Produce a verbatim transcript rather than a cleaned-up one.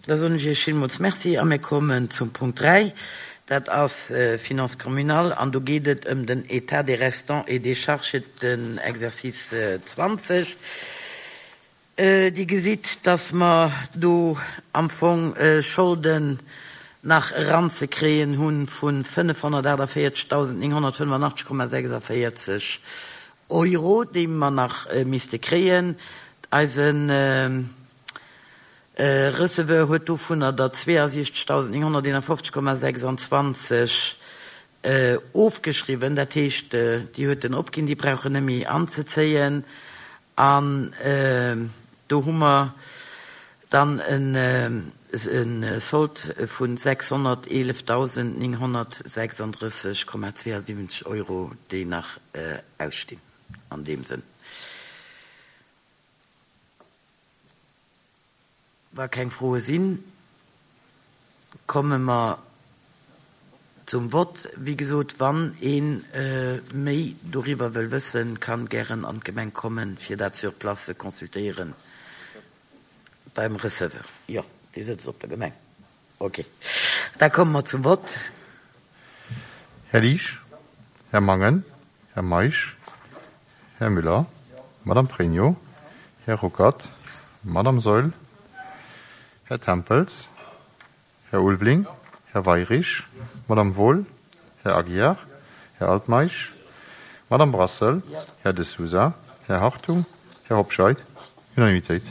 Da soen ech Iech villmools Merci a mir kommen zum Punkt dräi. Dat ass Finances communales an do geet et ëm den État des restants et des charges fir den Exercice zwanzeg. Dir gesitt, dass mer do am Fong Scholden nach eranzekréien hu vu fënnefhonnertaachtavéierzegdausendnénghonnertfënnefannachtzeg Komma sechsavéierzeg Euro, déi mer nach misste kréien. Eisen Receveur huet dovunner der zweeasiechzegdausendnénghonnerteenafofzeg Komma sechsanzwanzeg ofgeschriwwen. Dat heescht, déi huet en opginn, déi brauch en net méi anzezéien. An do hu mer dann e Sold vu sechshonnerteelefdausendnénghonnertsechsandrësseg Komma zweeasiwwenzeg Euro, déi nach ausstinn an deem Sënn. Wa keng Froe sinn, komme mer zum Vott. Wéi gesot, wann ee méi doriwwer wëll wëssen, kann gären an d'Gemeng kommen, fir dat sur place ze consultéieren beim Receveur. Jo, dee sëtzt op der Gemeng. Ok, da komme mer zum Vott. Här Liesch, Här Mangen, Här Meisch, Här Müller, Madame Pregno, Här Ruckert, Madame Saeul, Här Tempels, Här Ulveling, Här Weyrich, Madame Wohl, Här Aguiar, Här Altmeisch, Madame Brassel, Här De Sousa, Här Hartung, Här Hobscheit. Unanimitéit.